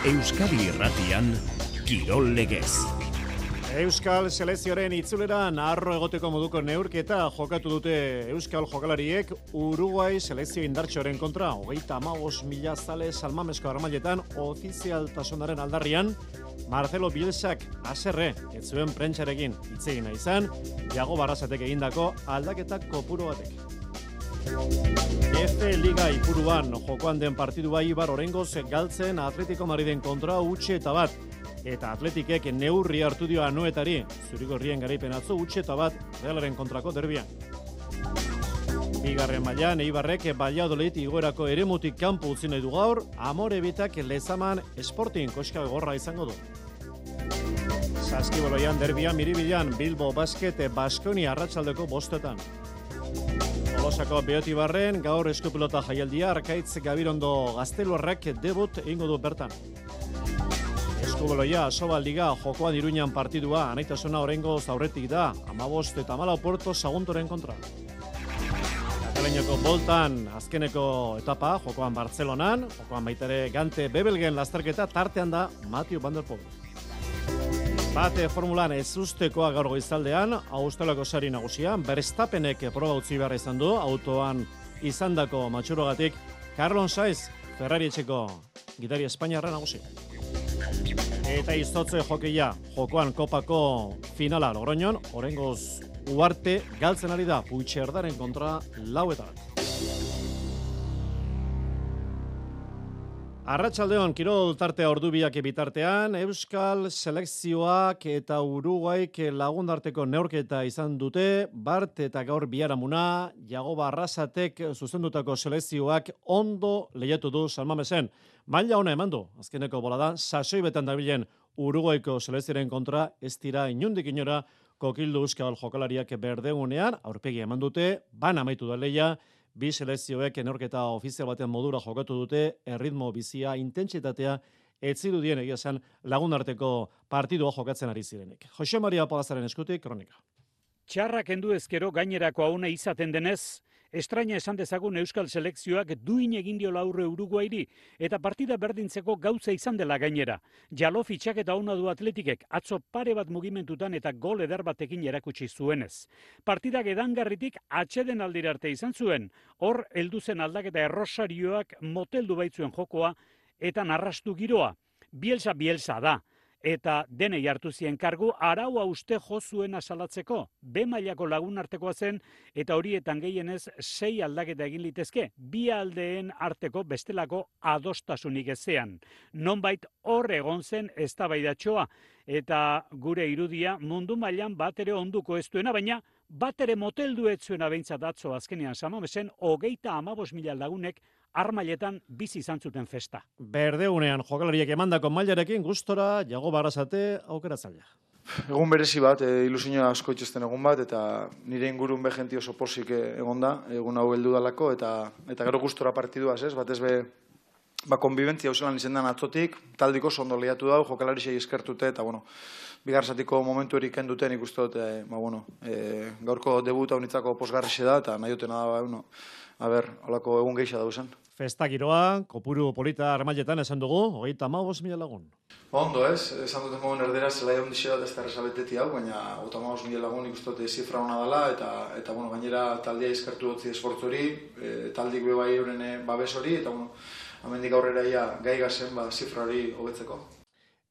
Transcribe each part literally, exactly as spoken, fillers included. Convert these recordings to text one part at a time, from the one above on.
Euskadi Irratian, Kirol Legez. Euskal selekzioaren itzulera naharro egoteko moduko neurketa jokatu dute Euskal jokalariek Uruguai selekzio indartxoaren kontra. Hogeita hamabost mila zale salmamesko armailetan ofizialtasunaren aldarrian, Marcelo Bielsak haserre ez zuen prentsarekin hitz egin nahi izan, Iago Barrasatek egindako aldaketa kopuru batek. F Liga ipuruan jokoan den partidua Ibar oraingoz galtzen Atletico Madriden kontra utxe eta bat. Eta Atletikek neurri hartu dio Anoetari, zurigorrien garaipen atzo utxe eta bat Realaren kontrako derbian. Bigarren mailan Eibarrek Valladolid igoerako eremutik kanpo utzi nahi du gaur, Amorebitak Lezaman Sporting koska gorra izango du. Saskiboloian derbian Miribilan Bilbo Basket Baskonia arratsaldeko bostetan. Tolosako Beotibarren gaur eskupilota jaialdia Arkaitz Gabirondo Gazteluarrak debut egingo du bertan. Eskubaloia Asobal Liga jokoan Iruñan partidua anaitasuna oraingoz aurretik da, hamabost eta hamalau Puerto Saguntoren kontra. Kataluniako boltan azkeneko etapa jokoan Bartzelonan, jokoan baita ere Gante Bebelgen lasterketa tartean da Mathieu van der Poel. Bate formulan ez ustekoa gaur goizaldean, Australiako sari nagusian, Verstappenek proba utzi behar izan du, autoan izandako matxurogatik, Carlos Sainz, Ferrari etxeko gidari Espainiarra nagusi. Eta izotze jokeia, jokoan kopako finala Logroñon, oraingoz Uarte galtzen ari da Puigcerdaren kontra lau eta bat. Arratsaldeon kirol tartea ordubiak bitartean, Euskal selekzioak eta Uruguaik lagundarteko neurketa izan dute, Bart eta gaur biharamuna, Iago Barrasatek zuzendutako selekzioak ondo lehiatu du Salmamesen. Maila ona eman du, azkeneko bolada, sasoi betan dabilen Uruguaiko selekzioaren kontra ez dira inundik inora kokildu Euskal jokalariak berdegunean, aurpegi eman dute, ban amaitu da lehia, bi selekzioek neurketa ofizial baten modura jokatu dute, erritmo bizia, intentsitatea, etzirudien egia zen lagundarteko partidua jokatzen ari zirenek. Jose Maria Palazaren eskutik, kronika. Txarra kendu ezkero gainerako hauna izaten denez, estraina esan dezagun Euskal selekzioak duin egin diola aurre Uruguairi eta partida berdintzeko gauza izan dela gainera. Jalo fitxaketa ona du Atletikek, atzo pare bat mugimentutan eta gol eder batekin erakutsi zuenez. Partidak edangarritik atxeden aldira arte izan zuen, hor heldu zen aldaketa errosarioak moteldu baitzuen jokoa eta narrastu giroa. Bielsa Bielsa da. Eta denei hartu zien kargu araua uste jo zuen asalatzeko. B mailako lagunartekoa zen eta horietan gehienez sei aldaketa egin litezke, bi aldeen arteko bestelako adostasunik ezean. Nonbait hor egon zen eztabaidatxoa eta gure irudia mundu mailan bat ere onduko ez duena, baina bat ere moteldu ez zuena behintzat atzo azkenean Samamesen hogeita hamabost mila lagunek armailetan bizi izan zuten festa. Berdeunean jokalariek emandako mailarekin gustora Iago Barrasate aukeratzailea. Egun berezi bat, e, ilusioa asko itxesten egun bat, eta nire ingurun behenti oso pozik egon da, egun hau heldu dalako, eta eta gero gustora partiduaz, ez? Batez be, ba, konbibentzia hauzelan izendan atzotik, taldiko ondo lehiatu dau, jokalarisei eskertute, eta, bueno, bigarzatiko momentu erik enduten ikustu dut, e, ba, bueno, e, gaurko debuta unitzako posgarrixe da, eta nahi dutena da, ba, bueno, a ber, holako egun geixa dauzen. Festa giroa, kopuru polita armailetan esan dugu, hogeita hamabost mila lagun. Ondo ez, esan duten mogun erdera zelaia hondixe bat ez da erresabetetik hau, baina hogeita hamabost mila lagun ikustote zifra hona dela, eta, eta bueno, gainera taldea izkertu dutzi esfortzori, e, taldik bebai euren babes hori, eta bueno, amendik aurrera ia gai gazen ba, zifra hori hobetzeko.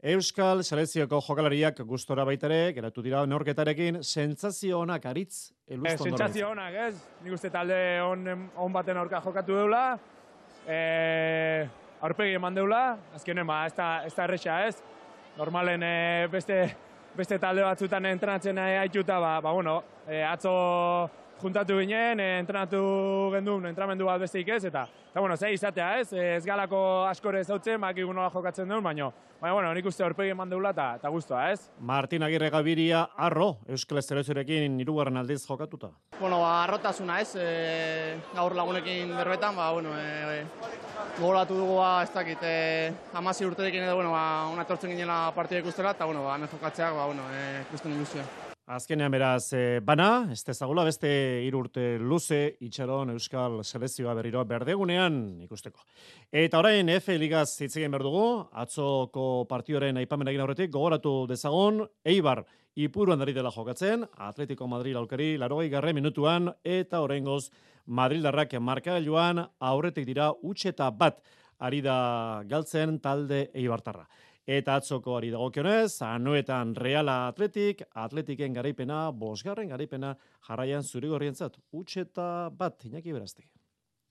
Euskal selekzioko jokalariak gustora baitare, geratu dira neurketarekin, sentsazio onak aritz eluzto ondoren. Sentsazio onak, ez? Nik uste talde on, on baten aurka jokatu deula, e, aurpegi eman deula, azkenen ba, ez da, ez da erresa, ez? Normalen e, beste, beste talde batzutan entrenatzen haituta, ba, ba bueno, e, atzo juntatu ginen, e, entrenatu gendun, entramendu bat besteik ez, eta, eta bueno, zei izatea, ez? Ez galako askore zautzen, bakigu nola jokatzen duen, baina, baina, bueno, nik uste aurpegi eman deula eta, eta guztua, ez? Martin Agirre Gabiria, arro, Euskal selekzioarekin hirugarren aldiz jokatuta. Bueno, ba, arrotasuna, ez? E, gaur lagunekin berbetan, ba, bueno, e, gogoratu dugu, ba, ez dakit, e, amasi urterekin edo, bueno, ba, una etortzen ginela partida ikustela, eta, bueno, ba, hemen jokatzeak, ba, bueno, e, ikusten ilusioa. Azkenean beraz, e, bana, ez dezagula beste hiru urte luze itxaron Euskal Selekzioa berriro berdegunean ikusteko. Eta orain F Ligaz hitz egin behar dugu, atzoko partioren aipamen egin aurretik, gogoratu dezagon, Eibar Ipuruan dari dela jokatzen, Atletico Madrid aurkari larogei garren minutuan, eta oraingoz Madrildarrak markagailuan aurretik dira huts eta bat ari da galtzen talde eibartarra. Eta atzoko ari dagokionez, Anoetan Reala Atletik, Atletiken garaipena, bosgarren garaipena jarraian zurigorrientzat. Huts eta bat, Iñaki Berazti.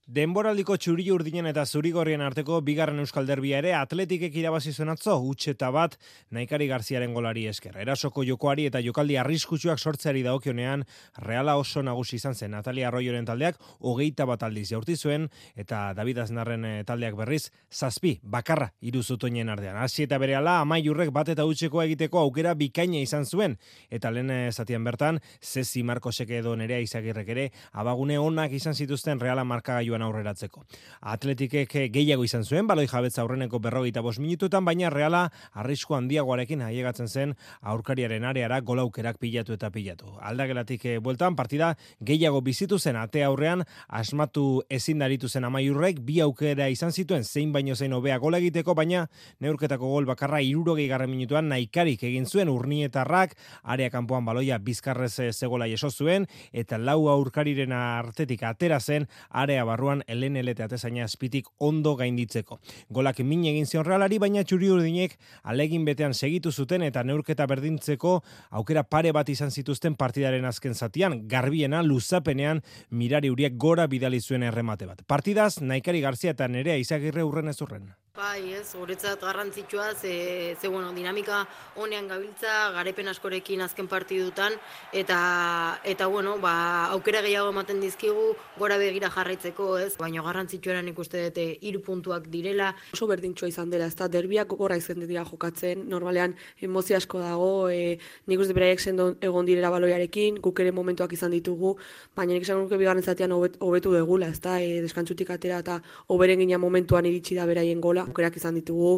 Denboraldiko txuri urdinen eta zurigorrien arteko bigarren euskal derbia ere Atletikek irabazi zuen atzo, huts eta bat Naikari Garziaren golari esker. Erasoko jokoari eta jokaldi arriskutsuak sortzeari dagokionean Reala oso nagusi izan zen. Natalia Arroyoren taldeak hogeita bat aldiz jaurti zuen eta David Aznarren taldeak berriz zazpi bakarra hiru zutoinen artean. Hasi eta berehala Amaiurrek bat eta hutsekoa egiteko aukera bikaina izan zuen eta lehen zatian bertan Zezi Markosek edo Nerea Izagirrek ere abagune onak izan zituzten Reala markagailuan aurreratzeko. Atletikek gehiago izan zuen, baloi jabetza aurreneko berrogeita bost minututan, baina Reala arrisku handiagoarekin aiegatzen zen aurkariaren areara golaukerak pilatu eta pilatu. Aldagelatik bueltan partida gehiago bizitu zen ate aurrean asmatu ezin daritu zen Amaiurrek, bi aukera izan zituen zein baino zein hobea gola egiteko, baina neurketako gol bakarra hirurogei garren minutuan Naikarik egin zuen Urnietarrak, area kanpoan baloia bizkarrez zegola jaso zuen eta lau aurkariren artetik atera zen area barruan Elen Elete atezaina azpitik ondo gainditzeko. Golak min egin zion Realari, baina txuri urdinek alegin betean segitu zuten eta neurketa berdintzeko aukera pare bat izan zituzten partidaren azken zatian, garbiena luzapenean Mirari Uriek gora bidali zuen erremate bat. Partidaz, Naikari Garzia eta Nerea Izagirre urren ez urren. Bai, ez, guretzat garrantzitsua, ze, ze bueno, dinamika honean gabiltza, garaipen askorekin azken partidutan, eta, eta bueno, ba, aukera gehiago ematen dizkigu, gora begira jarraitzeko, ez, baina garrantzitsueran ikuste dute hiru puntuak direla. Oso berdintxoa izan dela, ez da, derbiak gogorra izan dira jokatzen, normalean emozio asko dago, e, nik uste beraiek sendo egon direla baloiarekin, guk ere momentuak izan ditugu, baina nik esan nuke bigarren zatean hobetu degula, ez da, e, deskantzutik atera eta hoberen gina momentuan iritsi da beraien gola, aukerak izan ditugu,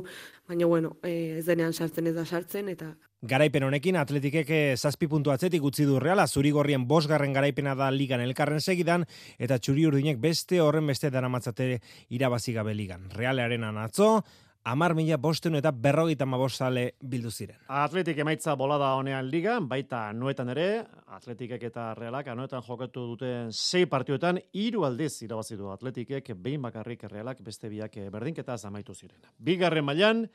baina bueno, ez denean sartzen ez da sartzen, eta... Garaipen honekin Atletikek zazpi puntu atzetik utzi du Reala, zurigorrien bosgarren garaipena da ligan elkarren segidan, eta txuri urdinek beste horren beste daramatzate irabazi gabe ligan. Realaren atzo, Amar mila bosten eta berrogeita mabosale bildu ziren. Atletik emaitza bolada honean ligan, baita Anoetan ere, Atletikek eta Realak Anoetan jokatu duten sei partioetan, hiru aldiz irabazi du Atletikek, behin bakarrik Realak beste biak berdinketaz amaitu ziren. Bigarren mailan,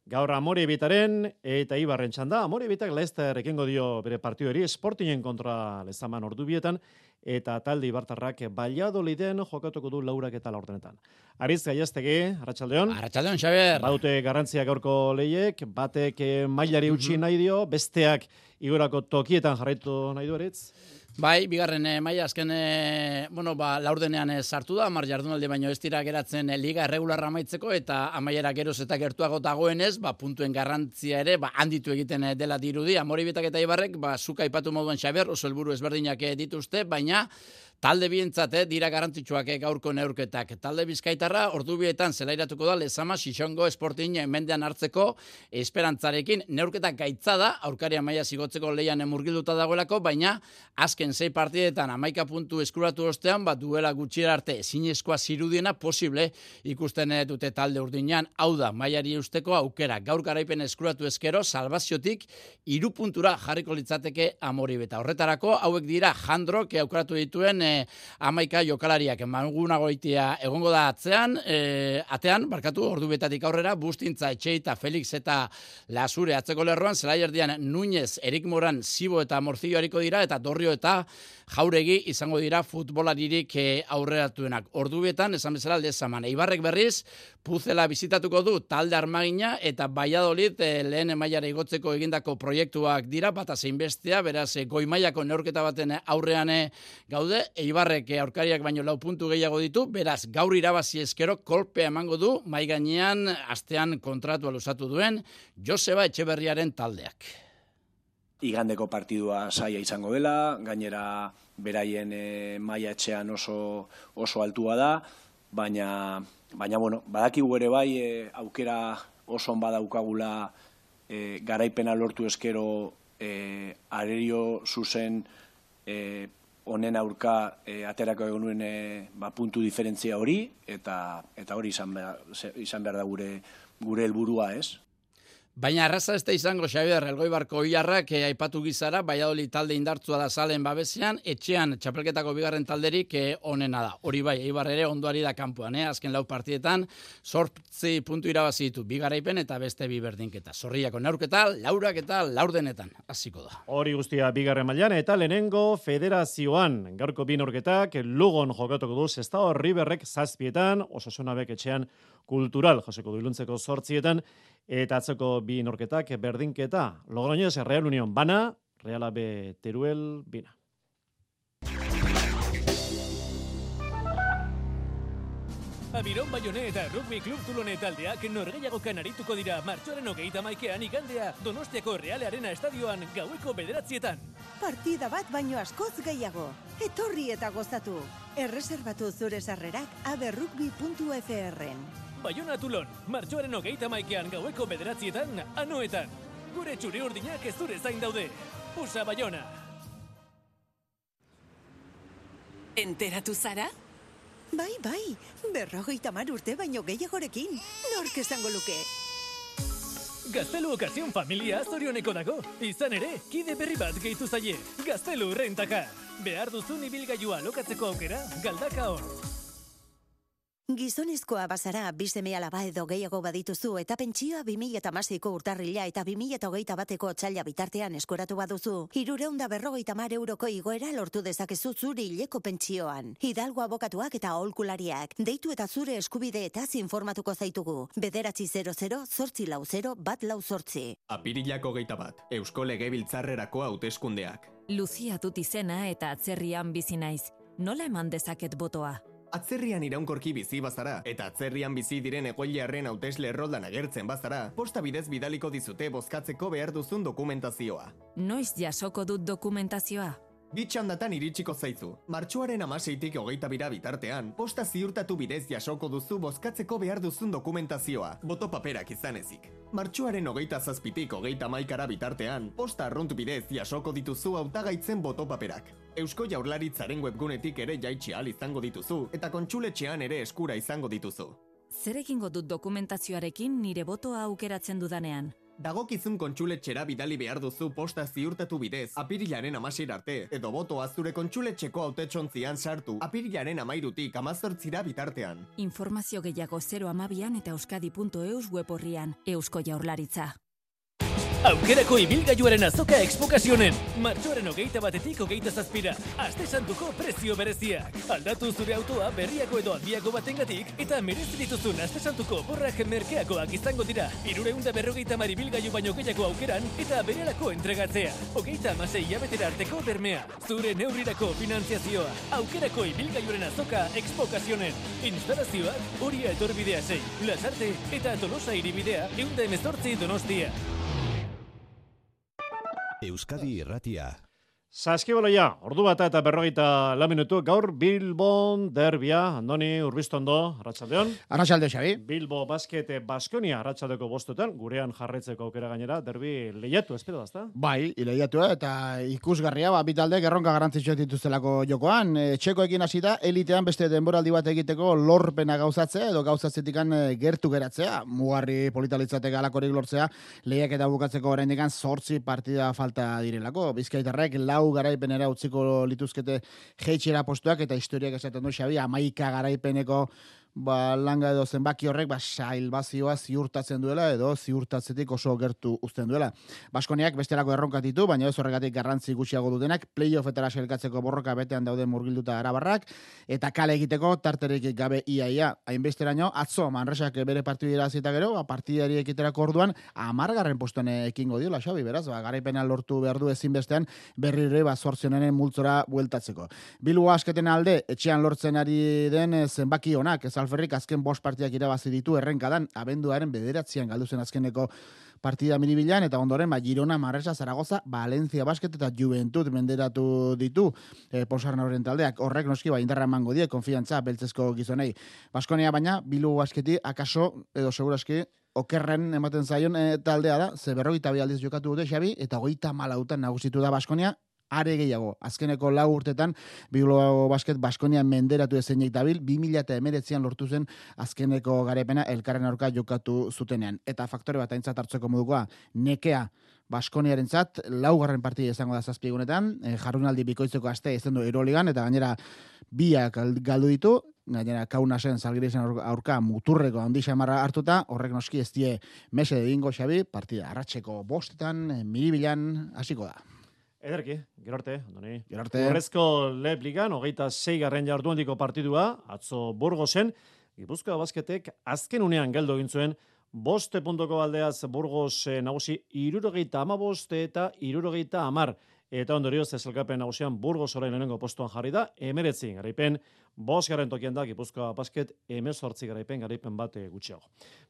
gaur Amorebietaren eta Eibarren txanda, Amorebietak Leicester ekingo dio bere partioeri, Sportingen kontra Lezaman ordubietan, eta talde Ibartarrak Valladoliden jokatuko du laurak eta laurdenetan. Ariz Gaiaztegi, Arratsaldeon. Arratsaldeon, Xabier. Badute garrantzia gaurko lehiek, batek mailari utzi nahi dio, besteak igorako tokietan jarraitu nahi du Aritz? Bai, bigarren eh, maila azken eh, bueno, ba, laurdenean eh, sartu da, hamar jardunaldi baino ez dira geratzen eh, liga erregularra amaitzeko eta amaiera geroz eta gertuago dagoenez, ba, puntuen garrantzia ere ba, handitu egiten eh, dela dirudi. Amorebieta eta Eibarrek, ba, zuka aipatu moduan Xabier, oso helburu ezberdinak eh, dituzte, baina talde bientzat eh, dira garrantzitsuak eh, gaurko neurketak. Talde Bizkaitarra ordubietan zelairatuko da Lezama Xixongo Sporting mendean hartzeko esperantzarekin. Neurketak gaitza da, aurkaria maila zigotzeko leian murgilduta dagoelako, baina azken sei partidetan hamaika puntu eskuratu ostean, bat duela gutxira arte ezinezkoa zirudiena posible ikusten dute talde urdinean. Hau da, mailari usteko aukera. Gaur garaipen eskuratu eskero, salbaziotik hiru puntura jarriko litzateke Amorebieta. Horretarako, hauek dira Jandrok aukeratu dituen e, amaika jokalariak. Magunagoitia egongo da atzean, e, atean, barkatu, ordubietatik aurrera, Bustintza, Etxeita, Felix eta Lasure atzeko lerroan, zelaierdian Núñez, Erik Moran, Sibo eta Morcillo hariko dira, eta Dorrio eta Jauregi izango dira futbolaririk aurreratuenak. Ordubietan, esan bezala Lezaman. Eibarrek berriz, Puzela bizitatuko du talde Armagina eta Valladolid eh, lehen mailara igotzeko egindako proiektuak dira, bata zein bestea, beraz goi mailako neurketa baten aurrean gaude. Eibarrek aurkariak baino lau puntu gehiago ditu, beraz gaur irabazi eskero kolpea emango du mai gainean astean kontratua luzatu duen Joseba Etxeberriaren taldeak. Igandeko partidua saia izango dela, gainera beraien e, maila etxean oso, oso altua da, baina, baina bueno, badakigu ere bai e, aukera oso on badaukagula e, garaipena lortu eskero e, arerio zuzen e, honen aurka e, aterako egon nuen e, ba, puntu diferentzia hori, eta eta hori izan behar, izan behar da gure gure helburua, ez? Baina arraza ez da izango, Xabier, Elgoibarko Oiarrak eh, aipatu gizara, Valladolid talde indartsua da Zalen babesean, etxean txapelketako bigarren talderik eh, onena da. Hori bai, Eibar ere ondoari da kanpoan, eh? Azken lau partidetan, zortzi puntu irabazi ditu, bi garaipen eta beste bi berdinketa. Zorriako neurketa, laurak eta laurdenetan, hasiko da. Hori guztia bigarren mailan eta lehenengo federazioan, gaurko bi neurketak, Lugon jokatuko du Sestao Riverrek zazpietan, Osasuna bek etxean Kultural jasoko du Iluntzeko zortzietan, eta atzoko bi norketak berdinketa. Logroñez, Real Unión bana, Real A B Teruel bina. Abiron Bayone eta Rugby Club Tulone taldeak norgehiagokan arituko dira martxoaren hogeita maikean igandea Donostiako Real Arena estadioan gaueko bederatzietan. Partida bat baino askoz gehiago. Etorri eta gozatu. Erreserbatu zure sarrerak aberrugby puntu f r-en. Bayona Tulon, martxoaren hogeita maikean gaueko bederatzietan, anoetan. Gure txuri urdinak ez zure zain daude. Usa Bayona. Enteratu zara? Bai, bai, berrogeita hamar urte baino gehiagorekin. Nork esango luke? Gaztelu Okazion familia zorioneko dago. Izan ere, kide berri bat gehitu zaie. Gaztelu Rentaka. Behar duzun ibilgailua lokatzeko aukera, galdaka hor. Gizonezkoa bazara, bi seme alaba edo gehiago badituzu eta pentsioa bi mila hamaseiko urtarrila eta bi mila hogeita bateko otsaila bitartean eskoratu baduzu, hirurehun eta berrogeita hamar euroko igoera lortu dezakezu zure hileko pentsioan. Hidalgo abokatuak eta aholkulariak, deitu eta zure eskubideetaz informatuko zaitugu. Bederatzi zero zero, zortzi lau zero, bat lau zortzi. Apirilako geita bat, Eusko Legebiltzarrerako hauteskundeak. Luzia dut izena eta atzerrian bizi naiz. Nola eman dezaket botoa? Atzerrian iraunkorki bizi bazara, eta atzerrian bizi diren egoiliarren hautesle erroldan agertzen bazara, posta bidez bidaliko dizute bozkatzeko behar duzun dokumentazioa. Noiz jasoko dut dokumentazioa? Bitxandatan iritsiko zaizu. Martxoaren hamaseitik hogeita bira bitartean, posta ziurtatu bidez jasoko duzu bozkatzeko behar duzun dokumentazioa, boto paperak izan ezik. Martxoaren hogeita zazpitik hogeita maikara bitartean, posta arrunt bidez jasoko dituzu hautagaitzen boto paperak. Eusko Jaurlaritzaren webgunetik ere jaitsi ahal izango dituzu, eta kontsuletxean ere eskura izango dituzu. Zer egingo dut dokumentazioarekin nire botoa aukeratzen dudanean? Dagokizun kontsuletxera bidali behar duzu posta ziurtatu bidez, apirilaren amaseir arte, edo botoa zure kontsuletxeko hautetsontzian sartu, apirilaren amairutik amazortzira bitartean. Informazio gehiago zero amabian eta euskadi puntu eus web horrian, Eusko Jaurlaritza. Aukerako ibilgailuaren azoka Expokazionen. Martxoaren hogeita batetik hogeita zazpira. Aste santuko prezio bereziak. Aldatu zure autoa berriako edo handiago batengatik eta merezi dituzun aste santuko borrak merkeakoak izango dira. Hirurehun eta berrogeita hamar ibilgailu baino gehiago aukeran eta berelako entregatzea. Hogeita hamasei hilabetera arteko bermea. Zure neurrirako finantziazioa. Aukerako ibilgailuaren azoka Expokazionen. Instalazioak Oria etorbidea sei, Lasarte eta Tolosa hiribidea ehun eta hemezortzi Donostia. Euskadi Irratia. Saskibaloia, ordu bata eta berrogeita lau minutu, gaur Bilbon derbia, Andoni Urbiztondo, Arratsaldeon. Arratsalde, Xabi. Bilbo Basket Baskonia Arratsaldeko bostetan, gurean jarraitzeko aukera gainera, derbi lehiatu, espero da, ezta? Bai, lehiatu eta ikusgarria, ba, bitalde gerronka garrantzitsuak dituztelako jokoan. E, Txekoekin hasita elitean beste denboraldi bat egiteko lorpena gauzatzea edo gauzatzetikan gertu geratzea. Mugarri politalitzateka alakorik lortzea, lehiak eta bukatzeko oraindikan zortzi partida falta direlako. Bizkaitarrek lau garaipenera utziko lituzkete jeitxera postuak eta historiak esaten du Xabi, hamaika garaipeneko ba, langa edo zenbaki horrek ba, sailbazioa ziurtatzen duela edo ziurtatzetik oso gertu uzten duela. Baskoniak bestelako erronkat ditu, baina ez horregatik garrantzi gutxiago dutenak, playoffetara sailkatzeko borroka betean dauden murgilduta arabarrak, eta kale egiteko tarterik gabe iaia. Hainbesteraino, atzo Manresak bere partidira zita gero, ba, partidari ekiterako orduan, amargarren postuan ekingo diola, Xabi, beraz, ba, garaipena lortu behar du ezinbestean berrire ba, zortzionaren multzora bueltatzeko. Bilbo asketen alde, etxean lortzen ari den zenbaki honak, ez Euskalferrik azken bost partidak irabazi ditu errenkadan, abenduaren bederatzian galdu zen azkeneko partida miribilan, eta ondoren ba, Girona, Manresa, Zaragoza, Valencia Basket eta Juventud menderatu ditu e, posarna horren taldeak. Horrek noski ba, indarra emango die, konfiantza beltzezko gizonei. Baskonia baina, Bilbao Basketi akaso, edo seguraski, okerren ematen zaion e, taldea da, ze berrogeita bi aldiz jokatu dute Xabi, eta hogeita malautan nagusitu da Baskonia, are gehiago. Azkeneko lau urtetan Bilbao Basket Baskonia menderatu ezenik dabil, bi mila hemeretzian lortu zen azkeneko garepena elkarren aurka jokatu zutenean. Eta faktore bat aintzat hartzeko modukoa, nekea Baskoniarentzat laugarren partida izango da zazpiegunetan, e, jardunaldi bikoitzeko astea izan du Euroligan, eta gainera biak galdu ditu, gainera Kaunasen Zalgirisen aurka muturreko handi xamarra hartuta, horrek noski ez die mese egingo Xabi, partida arratseko bostetan, miribilan hasiko da. Ederki, gero arte, Andoni. Gero arte. Horrezko Leb Ligan, hogeita sei garren jardunaldiko partidua, atzo Burgosen, Gipuzkoa Basketek azken unean geldo egin zuen, boste puntuko aldeaz Burgos nagusi irurogeita amabost eta irurogeita amar. Eta ondorioz ezelkapen nagusian Burgos orain lehenengo postuan jarri da, emeretzi garaipen, bost garren tokian da Gipuzkoa Basket, emezortzi garaipen, garaipen bat gutxiago.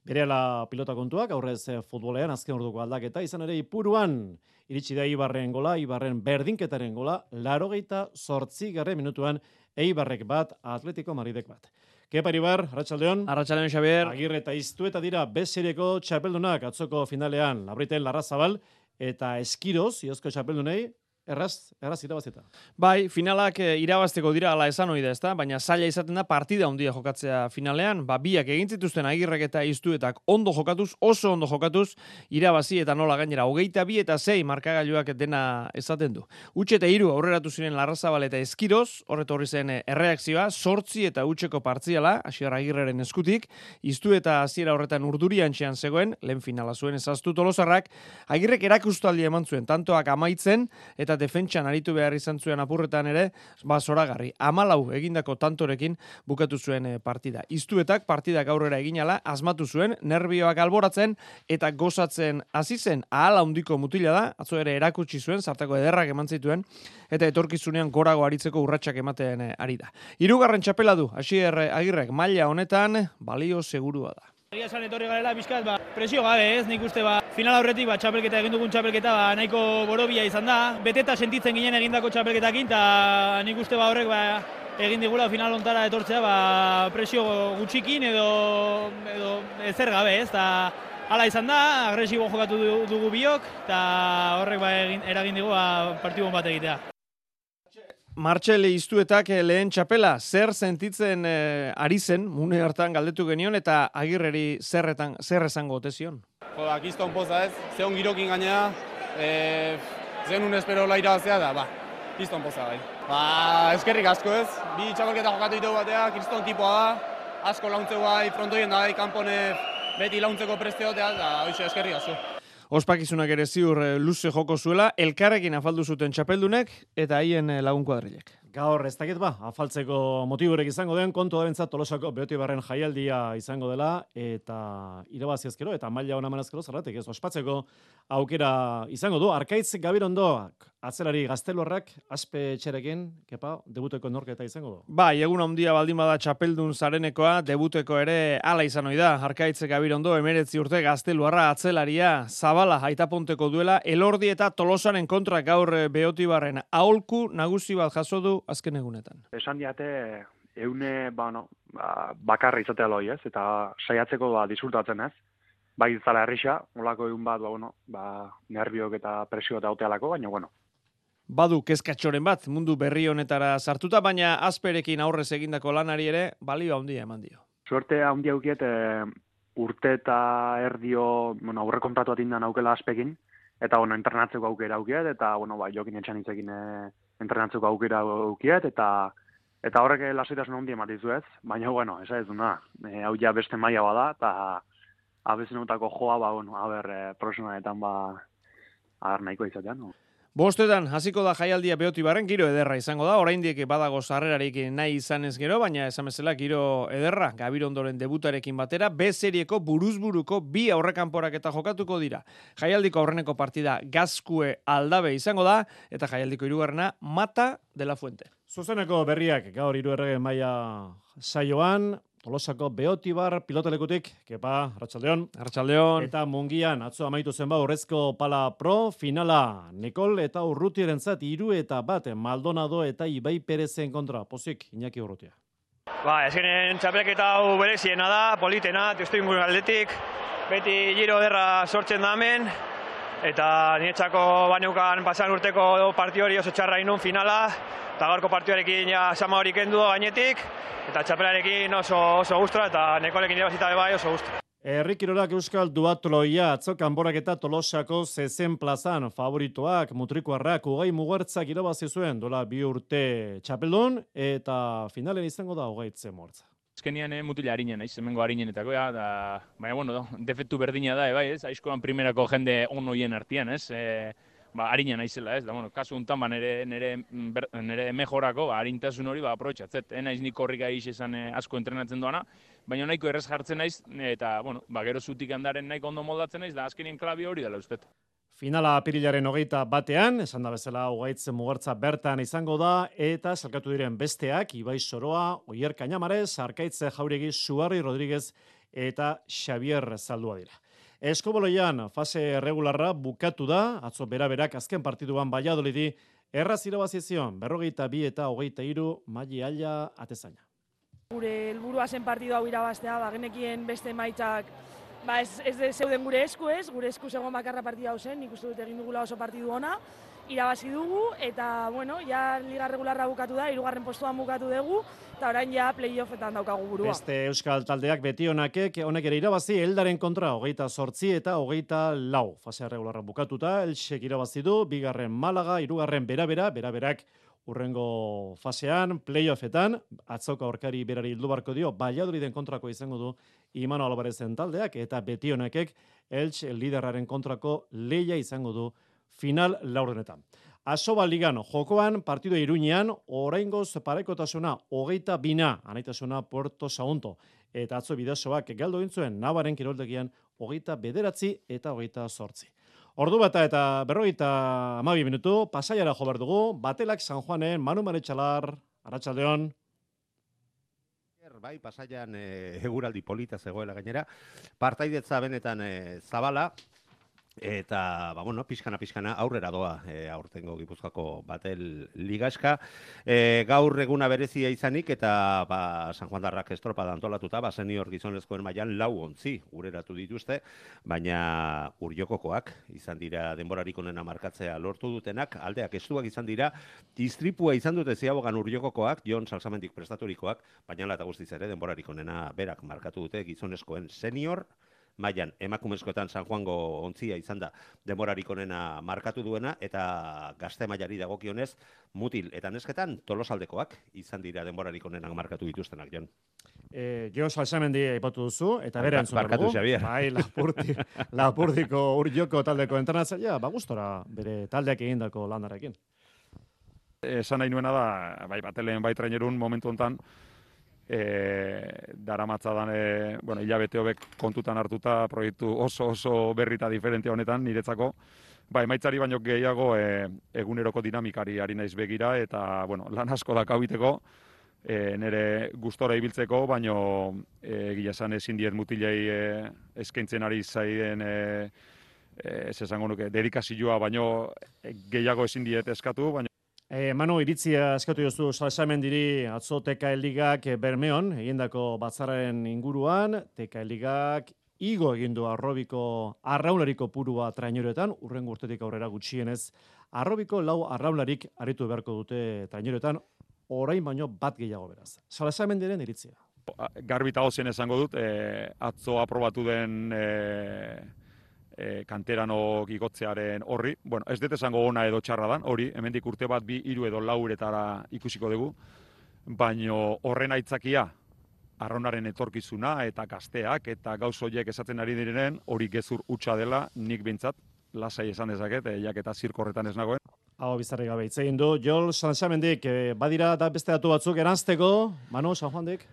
Berehala pilota kontuak, aurrez futbolean azken orduko aldaketa, izan ere Ipuruan, iritsi da Ibarren gola, Ibarren berdinketaren gola, larogeita zortzi garren minutuan, Eibarrek bat, Atletico Madridek bat. Kepa Ibar, Arratsaldeon. Arratsaldeon, Xabier. Agirre eta Iztu eta dira bezireko txapeldunak atzoko finalean, Labriten Larrazabal eta Eskiroz, iozko txapeldunei, Erraz, erraz irabazita. Bai, finalak e, irabazteko dira ala esan ohi da, ezta? Baina zaila izaten da partida handia jokatzea finalean, ba biak egin zituzten Agirrek eta Iztuetak ondo jokatuz, oso ondo jokatuz, irabazi eta nola gainera hogeita bi eta sei markagailuak dena esaten du. Utxe eta hiru aurreratu ziren Larrazabal eta Eskiroz, horret horri zen erreakzioa, sortzi eta utxeko partziala, Asier Agirreren eskutik, Iztu eta hasiera horretan urduriantxean zegoen, lehen finala zuen ezaztu Tolosarrak, Agirrek erakustaldia eman zuen, tantoak amaitzen eta defentsan aritu behar izan zuen apurretan ere, ba zoragarri. Amalau egindako tantorekin bukatu zuen partida. Iztuetak partidak aurrera eginala, asmatu zuen, nerbioak alboratzen eta gozatzen hasi zen ahala handiko mutila da, atzo ere erakutsi zuen, zartako ederrak eman zituen, eta etorkizunean gorago aritzeko urratsak ematen ari da. Hirugarren txapela du, Asier Agirrek maila honetan, balio segurua da. Egia esan etorri garela bizkat, ba, presio gabe ez, nik uste ba, final aurretik ba, txapelketa egin dugun txapelketa ba, nahiko borobia izan da. Beteta sentitzen ginen egindako txapelketakin, eta nik uste ba, horrek ba, egin digula final ontara etortzea ba, presio gutxikin edo, edo ezer gabe ez. Ta, hala izan da, agresibo jokatu dugu biok, eta horrek ba, egin, eragin digu ba, partibon bat egitea. Martxel Iztuetak lehen txapela, zer sentitzen eh, ari zen, mune hartan galdetu genion, eta Agirreri zerretan, zer esango ote zion? Joda, kiston poza ez, zeon girokin gainea, e, zen un espero laira bazea da, ba, kiston poza bai. Ba, eskerrik asko ez, bi txapelketa jokatu ditu batea, kriston tipoa da, asko launtze bai, frontoien da, kanpone beti launtzeko presteotea, da, hoxe eskerrik asko. Ospakizunak ere ziur luze joko zuela, elkarrekin afaldu zuten txapeldunek eta haien lagun kuadrilek. Gaur ez dakit ba, afaltzeko motiburek izango den, kontu da bentzat Tolosako Beotibarren jaialdia izango dela, eta irabazi ezkero, eta maila hona manazkero zerratik, ez ospatzeko aukera izango du. Arkaitz Gabirondoak, atzelari Gazteluarrak, aspe txerekin, kepa, debuteko norketa izango du. Bai, egun handia baldin bada txapeldun zarenekoa, debuteko ere hala izan ohi da. Arkaitz Gabirondo, emeretzi urte Gazteluarra atzelaria, Zabala, Aitaponteko duela, Elordi eta Tolosaren kontra gaur Beotibarren aholku nagusi bat jaso du azken egunetan. Esan diate, eune ba, no, ba, bakarra izatea loi ez, eta saiatzeko ba, disfrutatzen ez. Bai zala herrisa, olako egun bat, ba, bueno, ba, nerviok eta presio eta otealako, baina, bueno. Badu kezkatxoren bat, mundu berri honetara sartuta, baina azperekin aurrez egindako lanari ere, balio handia eman dio. Suerte handia aukiet, e, urte eta erdio, bueno, aurre kontratu atindan aukela azpekin, eta, bueno, entrenatzeko aukera aukiet, eta, bueno, ba, jokin etxan itzekin e, entrenatzeko aukera aukiet, eta eta horrek lasaitasun handia ematizu ez, baina, bueno, esa ez duna, e, hau ja beste maila bada, eta abezenutako joa, ba, bueno, haber, e, profesionaletan, ba, haber nahiko izatean, no? Bostetan, hasiko da jaialdia Beotibarren, giro ederra izango da, oraindik badago sarrerarik nahi izan ez gero, baina esan bezala giro ederra, Gabirondoren debutarekin batera, B-serieko buruzburuko bi aurrekanporak eta jokatuko dira. Jaialdiko aurreneko partida Gazkue Aldabe izango da, eta jaialdiko hirugarrena Mata de la Fuente. Zuzeneko berriak gaur hiru errege maila saioan, Tolosako Beotibar pilotalekutik, kepa, Arratsaldeon. Arratsaldeon. Eta Mungian, atzo amaitu zen ba, Urrezko Pala Pro, finala, Nikol eta Urrutiarentzat hiru eta bat, Maldonado eta Ibai Perezen kontra. Pozik, Iñaki Urrutia. Ba, ezkenen txapelketa hau bereziena da, politena, testu ingur aldetik, beti giro derra sortzen da hemen, eta niretzako baneukan pasan urteko partio hori oso txarra inun finala, eta gaurko partioarekin ja sama hori kendu gainetik, eta txapelarekin oso, oso gustora, eta Nekolekin irabazita bai oso gustora. Herri Kirolak Euskal Duatloia, atzo kanborak eta Tolosako zezen plazan favoritoak, mutrikoarrak, ugei mugartzak irabazi zuen, dola bi urte txapeldun, eta finalen izango da ugaitze mortza. Azkenian eh, mutila harinen, naiz, hemengo harinenetakoa, da, baina, bueno, defektu berdina da, bai, ez, aizkoan primerako jende on hoien artean, ez, e, ba, harina naizela, ez, da, bueno, kasu untan, ba, nere, nere, nere mejorako, ba, harintasun hori, ba, aprobetxatzet, eh, naiz nik korrika egin esan eh, asko entrenatzen doana, baina nahiko errez jartzen naiz, eta, bueno, ba, gero zutik handaren nahiko ondo moldatzen naiz, da, azkenien klabi hori dela ustet. Finala apirilaren hogeita batean, esan da bezala ugaitzen mugartza bertan izango da, eta salkatu diren besteak, Ibai Soroa, Oier Kañamarez, Arkaitze Jauregi, Suarri Rodríguez eta Xavier Zaldua dira. Eskoboloian fase regularra bukatu da, atzo beraberak azken partiduan Valladolidi, erraz irabazizion, berrogeita bi eta hogeita hiru Maili Aila atezaina. Gure helburua zen partidu hau irabaztea, ba, genekien beste emaitzak ba, ez, ez zeuden gure esku ez, gure esku zegoen bakarra partida hau zen, nik uste dut egin dugula oso partidu ona, irabazi dugu, eta, bueno, ja liga regularra bukatu da, hirugarren postuan bukatu dugu, eta orain ja playoffetan daukagu burua. Beste Euskal taldeak beti honakek, honek ere irabazi, Eldaren kontra, hogeita zortzi eta hogeita lau. Fasea regularra bukatuta, Elxek irabazi du, bigarren Malaga, hirugarren Berabera, Beraberak urrengo fasean, playoffetan, atzoko aurkari berari hildu barko dio, Valladoliden kontrako izango du Imano Albarezen taldeak, eta beti honekek Elx liderraren kontrako leia izango du final laurdenetan. Asoba ligan, jokoan, partido Iruñean, oraingoz parekotasuna, hogeita bina, anaitasuna Puerto Sagunto, eta atzo bidasoak galdu gintzuen, Navaren kiroldegian, hogeita bederatzi eta hogeita zortzi. Ordu bata eta berrogeita hamabi minutu, Pasaiara jo behar dugu, Batelak San Juanen, Manu Maretxalar, Arratsaldeon. Bai, Pasaian e, eguraldi polita zegoela gainera, partaidetza benetan e, zabala, eta, ba, bueno, pixkana, pixkana, aurrera doa e, aurtengo Gipuzkoako Batel ligaska. E, gaur eguna berezia izanik, eta ba, San Juan darrak estropada antolatuta, ba, senior gizonezkoen mailan lau ontzi ureratu dituzte, baina urjokokoak izan dira denborarik onena markatzea lortu dutenak, aldeak estuak izan dira, istripua izan dute ziabogan urjokokoak, Jon Salsamendik prestaturikoak, baina ala eta guztiz ere denborarik onena berak markatu dute gizonezkoen senior, mailan emakumezkoetan San Juango ontzia izan da denborarik onena markatu duena, eta gazte mailari dagokionez mutil eta nesketan tolosaldekoak izan dira denborarik onena markatu dituztenak, Jon. Eh, Jon Salsamendi aipatu duzu, eta bere entzun Barkatu, Xavier. Bai, Lapurdi, Lapurdiko urjoko taldeko entrenatzailea, ba gustora bere taldeak egindako landarekin. Esan nahi nuena da, bai, Batelen bai trainerun momentu hontan, E, daramatzadan e, bueno, hilabete hobek kontutan hartuta proiektu oso oso berrita diferente honetan niretzako, ba, emaitzari baino gehiago e, eguneroko dinamikari ari naiz begira, eta bueno, lan asko da kabiteko, e, nire gustora ibiltzeko, baino e, gila esan ezin diet mutilei e, eskaintzen ari zaien e, e, ez esango nuke dedikazioa, baino e, gehiago ezin diet eskatu, baino E, Manu, iritzia eskatu jozu Salsamendiri atzo T K Ligak Bermeon, egindako batzarren inguruan, T K Ligak igo egindu arrobiko arraulariko purua traineroetan, urrengo urtetik aurrera gutxienez, arrobiko lau arraularik aritu beharko dute traineroetan, orain baino bat gehiago beraz. Salsamendiren iritzia. Garbi eta ozen esango dut, e, atzo aprobatu den e, E, kanterano gigotzearen horri. Bueno, ez dut esango ona edo txarra dan, hori, hemendik urte bat bi, hiru edo lauretara ikusiko dugu, baino horren aitzakia, arraunaren etorkizuna eta gazteak eta gauz horiek esatzen ari direnen, hori gezur hutsa dela, nik behintzat, lasai esan dezaket, e, jak eta zirko horretan ez nagoen. Hau bizarri gabe hitz egin du, Jol Salsamendik, e, badira da beste datu batzuk eranzteko, Manu, San Juandik?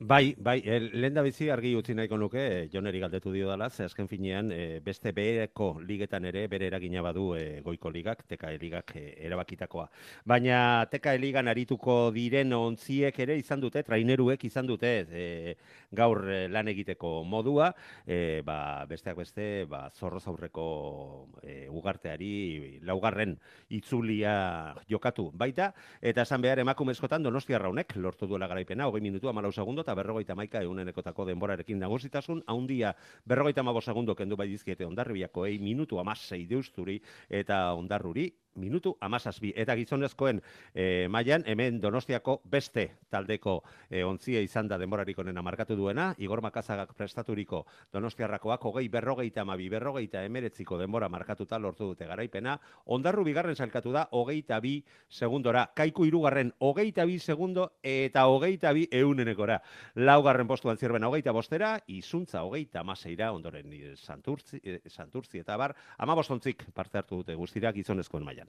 Bai, bai, lehen da bizi argi utzi nahiko nuke, Joneri galdetu dio dela, ze azken finean e, beste bereko ligetan ere bere eragina badu e, goiko ligak, T K E ligak e, erabakitakoa. Baina T K E ligan arituko diren ontziek ere izan dute, traineruek izan dute e, gaur e, lan egiteko modua, e, ba, besteak beste ba, zorroz aurreko e, ugarteari laugarren itzulia jokatu baita, eta esan behar emakumezkotan Donostia Raunek lortu duela garaipena, hogei minutu, hamalau segundo, eta berrogeita hamaika eunenekotako denborarekin nagusitasun, haundia berrogeita hamabost segundo kendu bai dizkiete Hondarribiakoei, minutu amasei deusturi, eta Hondarruri minutu amazazbi. Eta gizonezkoen e, mailan hemen Donostiako beste taldeko e, ontzia izan da denborarik onena markatu duena, Igor Makazagak prestaturiko Donostiarrakoak hogei berrogeita amabi, berrogeita emeretziko denbora markatuta lortu dute garaipena, Hondarru bigarren sailkatu da hogeita bi segundora, Kaiku hirugarren hogeita bi segundo eta hogeita bi eunenekora. Laugarren postuan zirben hogeita bostera, Izuntza hogeita amaseira, ondoren Santurtzi, Santurtzi eta bar, amabostontzik parte hartu dute guztira gizonezkoen mailan.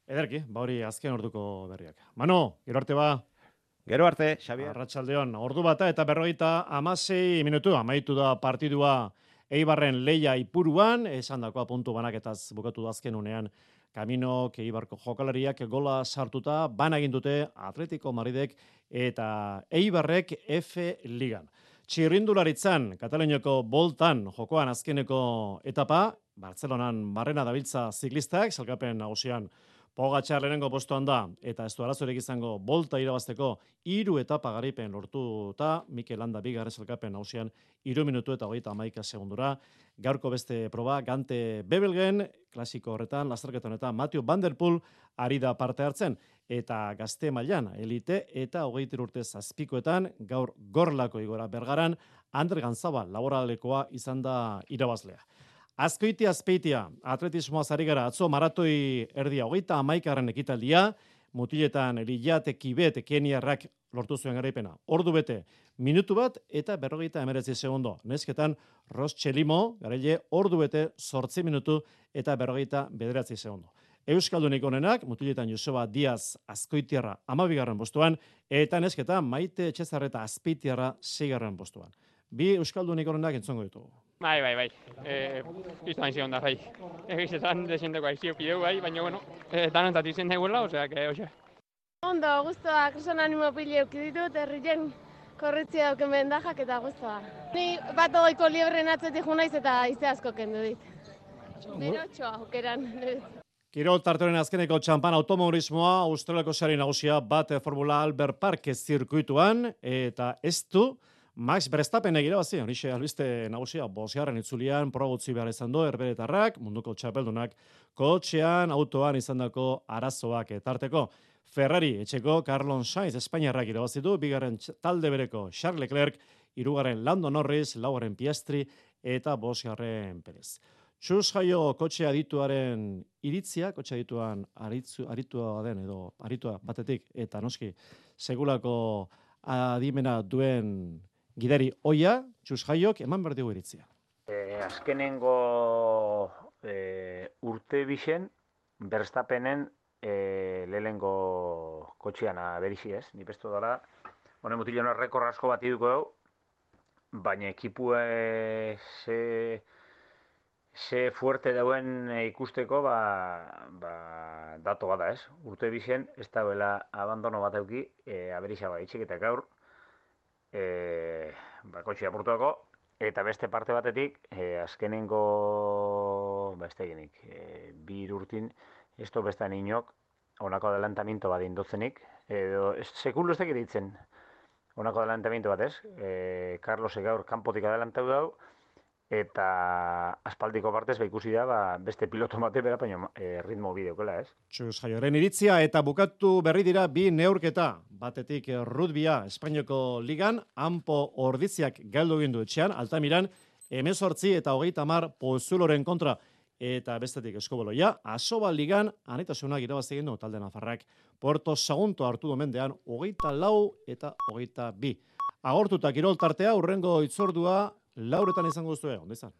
Ederki, ba hori azken orduko berriak. Mano, gero arte ba. Gero arte, Xabier. Arratsaldeon, ordu bata eta berrogeita hamasei minutu amaitu da partidua Eibarren Leia Ipuruan, esandakoa puntu banaketaz bukatu da azken unean Kamino Eibarko jokalariak gola sartuta bana egin dute Atletico Madridek eta Eibarrek F Ligan. Txirrindularitzan, Kataluniako boltan jokoan azkeneko etapa, Bartzelonan barrena dabiltza ziklistak, salkapen nagusian Pogačar lehenengo postuan da, eta ez du arazorik izango bolta irabazteko hiru etapa garaipen lortuta, Mikel Landa bigarren salkapen nagusian hiru minutu eta hogeita hamaika segundura. Gaurko beste proba, Gante Bebelgen, klasiko horretan, lasterketa honetan, Mathieu Van Der Poel ari da parte hartzen, eta gazte mailan elite eta hogeita urte zazpikoetan, gaur Gorlako igora Bergaran, Ander Ganzabal laboralekoa izan da irabazlea. Azkoiti Azpeitia, atletismoa zari gara, atzo maratoi erdia hogeita hamaikagarren ekitaldia, mutiletan Liate Kibet Keniarrak lortu zuen garaipena. Ordu bete, minutu bat eta berrogeita emeretzi segundo. Nesketan, Ros Txelimo, garaile, ordu bete, zortzi minutu eta berrogeita bederatzi segundo. Euskaldunik onenak, mutiletan Joseba Diaz Azkoitiarra amabigarren postuan, eta nesketan Maite Etxezarreta Azpeitiarra seigarren postuan. Bi Euskaldunik onenak entzongo ditugu. Bai, bai, bai. Eh, Isto hain zion da, bai. Egizetan desenteko aizio pideu, bai, baina, bueno, eh, danontzat izen daiguela, osea, que, osea. Ondo, guztua, kreson animo pile eukiditut, herrien korritzia dauken bendajak eta guztua. Ni bat ogoiko liebren atzetik junaiz eta ize asko kendu dit. Berotxoa, okeran. Kirol tartoren azkeneko txampan automobilismoa, Australiako sari nagusia bat Formula Albert Park zirkuituan, eta ez du, Max Verstappen irabazi, horixe albiste nagusia, bosgarren itzulian, probutzi behar izan du, erberetarrak, munduko txapeldunak, kotxean, autoan izandako arazoak etarteko. Ferrari, etxeko, Carlos Sainz, Espainiarrak irabazi du, bigarren talde bereko Charles Leclerc, hirugarren Lando Norris, laugarren Piastri, eta bosgarren Perez. Txus jaio kotxe adituaren iritzia, kotxe adituan aritzu, aritua den edo aritua batetik, eta noski, segulako adimena duen gidari oia, Txus jaiok, eman behar dugu iritzia. E, azkenengo e, urte bixen, Verstappenen e, lehengo kotxean aberizi ez, ni pestu dara, honen mutilena rekor asko bat iduko dugu, baina ekipue ze... ze fuerte dauen ikusteko, ba, ba, dato bada ez. Urte bizen, ez dauela abandono bat euki, e, aberisa baitxik eta gaur, e, ba, kotxea apurtuako, eta beste parte batetik, e, azkenengo, ba, ez tegenik, e, bi urtin, ez du bestan inok, honako adelantamiento bat indotzenik, edo, sekulu ez tekit ditzen, honako adelantamiento bat ez, e, Carlos gaur kanpotik adelantau dau, eta aspaldiko partez ba ikusi da ba, beste piloto bate bera, baina e, ritmo bideokela, ez? Txus jaioren iritzia eta bukatu berri dira bi neurketa. Batetik rudbia Espainiako ligan, Anpo Orditziak galdu egin du etxean, Altamiran, hemezortzi eta hogeita hamar Pozuloren kontra. Eta bestetik eskoboloia, Asoba ligan, anitasunak irabazi egin du talde nafarrak. Porto Sagunto hartu domendean, hogeita lau eta hogeita bi. Agortuta kirol tartea, urrengo itzordua, lauretan izango duzue, ondo izan.